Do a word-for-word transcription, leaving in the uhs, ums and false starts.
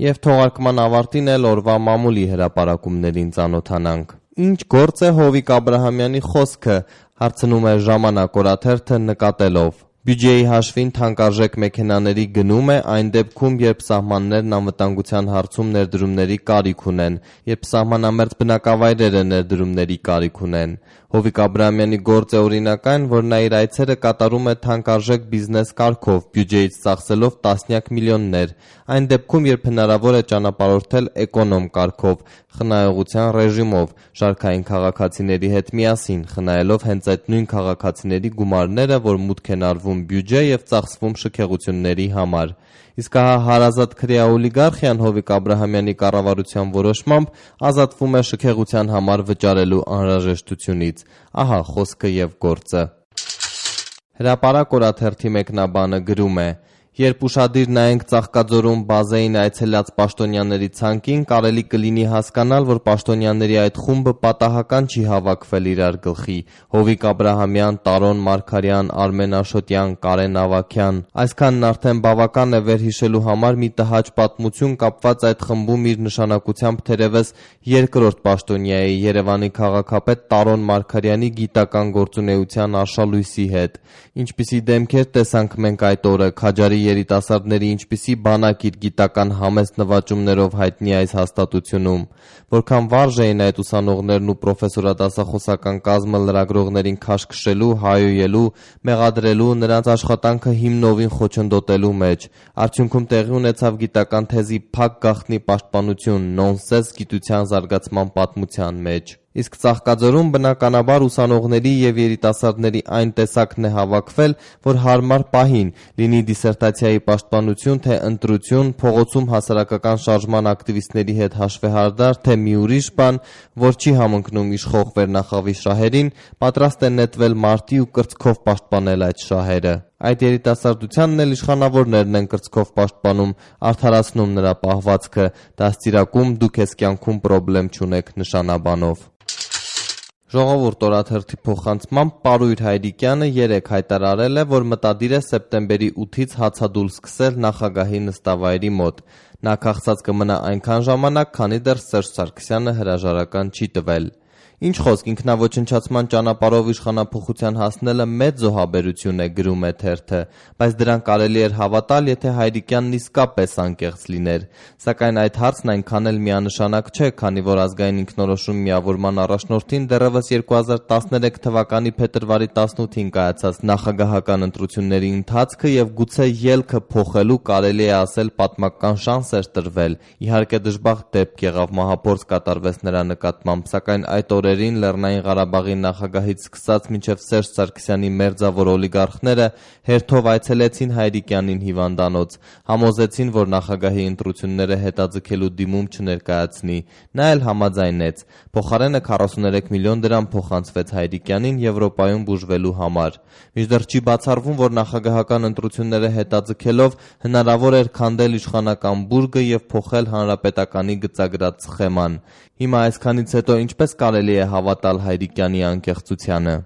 Եվ թողարկման ավարտին էլ օրվա մամուլի հրապարակումներին ծանոթանանք։ Ինչ գործ է Հովիկ Աբրահամյանի խոսքը, հարցնում է Ժամանակ օրաթերթը նկատելով։ Բյուջեի հաշվին թանկարժեք մեքենաների գնում է այն դեպքում, երբ սահմաններն անվտանգության հարցում ներդրումների կարիք ունեն, երբ սահմանամերձ բնակավայրերը ներդրումների կարիք ունեն։ Հովիկ Աբրահամյանի գործ է օրինակ այն, որ նա իր այցերը կատարում է թանկարժեք բիզնես կարգով, բյուջեից ծախսելով տասնյակ միլիոններ, այն դեպքում, երբ հնարավոր է ճանապարհորդել էկոնոմ կարգով, խնայողության ռեժիմով, շարքային քաղաքացիների հետ միասին, խնայելով հենց այդ նույն քաղաքացիների գումարները, որ մուտք են արվում բյուջե եւ ծախսվում շքեղությունների համար։ Իսկ ահա հարազատ քրեա օլիգարխիան Հովիկ Աբրահամյանի կառավարության որոշմամբ ազատվում է շքեղության համար վճարելու անհրաժեշտությունից։ Ահա խոսքը եւ գործը։ Հրապարակ օրաթերթի մեկնաբանը գրում է. Երբ ուշադիր նայենք Ծաղկաձորում բազային այցելած պաշտոնյաների ցանկին, կարելի կլինի հասկանալ, որ պաշտոնյաների այդ խումբը պատահական չի հավաքվել իրար գլխի։ Հովիկ Աբրահամյան, Տարոն Մարգարյան, Արմեն Աշոտյան, Կարեն Ավագյան։ Այսքանն արդեն բավական է վերհիշելու համար մի տհաճ պատմություն կապված այդ խմբում իր նշանակությամբ թերևս երկրորդ պաշտոնյայի Երևանի քաղաքապետ Տարոն Մարգարյանի գիտական գործունեության արշալույսի հետ։ Ինչպիսի դեմքեր տեսանք մենք այդ օրը, Քաջարի երիտասարդների ինչպիսի բանակ իր գիտական համեստ նվաճումներով հայտնի այս հաստատությունում, որքան վարժ էին այդ ուսանողներն ու պրոֆեսորադասախոսական կազմը լրագրողներին քաշքշելու, հայոյելու, մեղադրելու, նրանց աշխատանքը հիմնովին խոչընդոտելու մեջ։ Արդյունքում տեղի ունեցավ գիտական թեզի փակ գաղտնի պաշտպանություն, նոնսենս գիտության զարգացման պատմության մեջ։ Իսկ Ծաղկաձորում բնականաբար ուսանողների եւ երիտասարդների այն տեսակն է հավաքվել, որ հարմար պահին, լինի դիսերտացիայի պաշտպանություն, թե ընտրություն, փողոցում հասարակական շարժման ակտիվիստների հետ հաշվեհարդար, թե մի ուրիշ բան, որ չի համընկնում իշխող վերնախավի շահերին, պատրաստ է նետվել մարտի ու կրծքով պաշտպանել այդ շահերը։ Այդ երիտասարդությանն էլ իշխանավորներն են կրծքով պաշտպանում, արդարացնում նրա պահվածքը, դաստիարակում դուք ես կյանքում պրոբլեմ չունեք նշանաբանով։ Ժողովուրդ օրաթերթի փոխանցմամբ Պարույր Հայրիկյանը երեկ հայտարարել է, որ մտադիր է սեպտեմբերի ութից հացադուլ սկսել նախագահի նստավայրի մոտ։ Նա քաղցած կմնա այնքան ժամանակ, քանի դեռ Սերժ Սարգսյանը հրաժարական չի տվել։ Ինչ խոսք, ինքնաոչնչացման ճանապարհով իշխանափոխության հասնելը մեծ զոհաբերություն է, գրում է թերթը, բայց դրան կարելի էր հավատալ, եթե Հայրիկյանն իսկապես անկեղծ լիներ։ Սակայն այդ հարցն այնքան էլ միանշանակ չէ, քանի որ ազգային ինքնորոշում միավորման առաջնորդին դեռևս երկու հազար տասներեք թվականի փետրվարի տասնութին կայացած նախագահական ընտրությունների ընթացքը եւ գուցե ելքը փոխելու կարելի է ասել պատմական շանս էր տրվել։ Իհարկե դժբախտ դեպք եղավ, մահափորձ կատարվեց նրա նկատմամբ, սակայն այդ օրերին Լեռնային Ղարաբաղի նախագահից սկսած մինչև Սերժ Սարգսյանի մերձավոր օլիգարխները հերթով այցելեցին Հայրիկյանին հիվանդանոց, համոզեցին, որ նախագահի ընտրությունները հետաձգելու դիմում չներկայացնի։ Նա էլ համաձայնեց։ Փոխարենը քառասուներեք միլիոն դրամ փոխանցվեց Հայրիկյանին Եվրոպայում բուժվելու համար։ Մինչդեռ չի բացառվում, որ նախագահական ընտրությունները հետաձգելով հնարավոր էր քանդել իշխանական բուրգը եւ փոխել հանրապետականի գծագրած սխեման։ Հիմա այսքանից հետո ինչպես կարելի է հավատալ Հայրիկյանի անկեղծությանը։